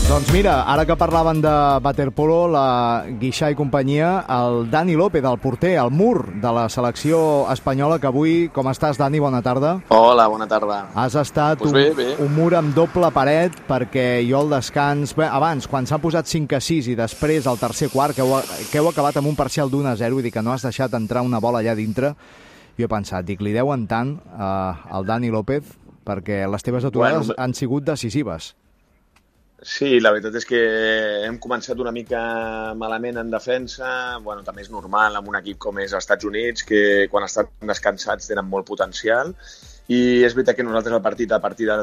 Doncs mira, ara que parlaven de waterpolo, la Guixà i companyia, el Dani López, el porter, el mur de la selecció espanyola, que avui... Com estàs, Dani? Bona tarda. Hola, bona tarda. Has estat bé. un mur amb doble paret, perquè jo al descans... Bé, abans, quan s'han posat 5-6 i després al tercer quart, que heu acabat amb un parcial d'1-0, vull dir que no has deixat entrar una bola allà dintre, jo he pensat, li deuen tant al Dani López, perquè les teves aturades han sigut decisives. Sí, la veritat és que hem començat una mica malament en defensa. Bueno, també és normal amb un equip com és els Estats Units, que quan estan descansats tenen molt potencial. I és veritat que nosaltres a partir de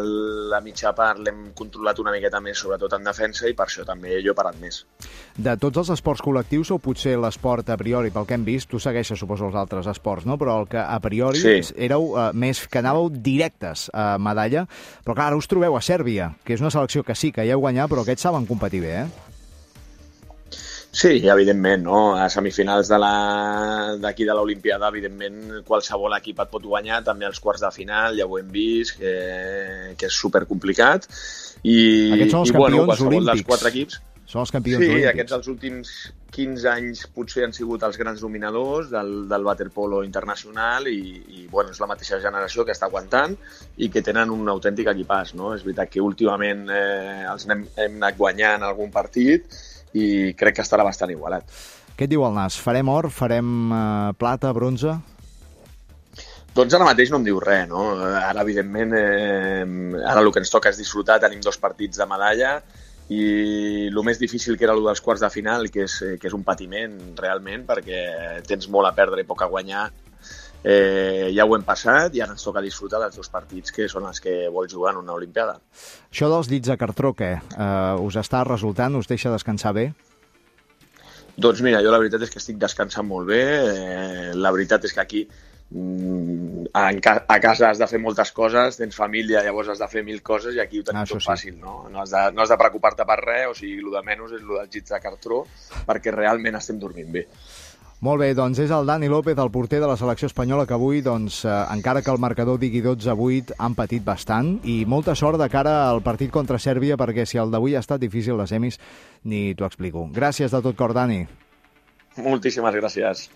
la mitja part l'hem controlat una miqueta més, sobretot en defensa, i per això també jo he parat més. De tots els esports col·lectius, o potser l'esport a priori, pel que hem vist, tu segueixes, suposo, els altres esports, no? Però el que a priori éreu més que anàveu directes a medalla, però clar, ara us trobeu a Sèrbia, que és una selecció que sí, que ja heu guanyat, però aquests saben competir bé, Sí, evidentment, no? A semifinals d'aquí de l'Olimpiada, evidentment, qualsevol equip et pot guanyar, també als quarts de final, ja ho hem vist, que és supercomplicat. Aquests són els campions olímpics. Dels 4 equips. Són els campions olímpics. Sí, aquests els últims 15 anys potser han sigut els grans dominadors del waterpolo internacional i bueno, és la mateixa generació que està aguantant i que tenen un autèntic equipàs, no? És veritat que últimament els hem anat guanyant algun partit i crec que estarà bastant igualat. Què et diu el nas? Farem or? Farem plata, bronze? Doncs ara mateix no em diu res, no? Ara, evidentment, ara el que ens toca és disfrutar. Tenim 2 partits de medalla i el més difícil que era el dels quarts de final, que és un patiment realment, perquè tens molt a perdre i poc a guanyar. Ja ho hem passat i ara ens toca disfrutar dels 2 partits que són els que vols jugar en una Olimpiada. Això dels dits de cartró, què? Us està resultant? Us deixa descansar bé? Doncs mira, jo la veritat és que estic descansant molt bé. La veritat és que aquí a casa has de fer moltes coses, tens família, llavors has de fer 1000 coses i aquí ho tenim tot fàcil, no? No has de preocupar-te per res, o sigui, el de menys és el dels dits de cartró, perquè realment estem dormint bé. Molt bé, doncs és el Dani López, el porter de la selecció espanyola, que avui, doncs, encara que el marcador digui 12-8, han patit bastant, i molta sort de cara al partit contra Sèrbia, perquè si el d'avui ha estat difícil, les semis, ni t'ho explico. Gràcies de tot cor, Dani. Moltíssimes gràcies.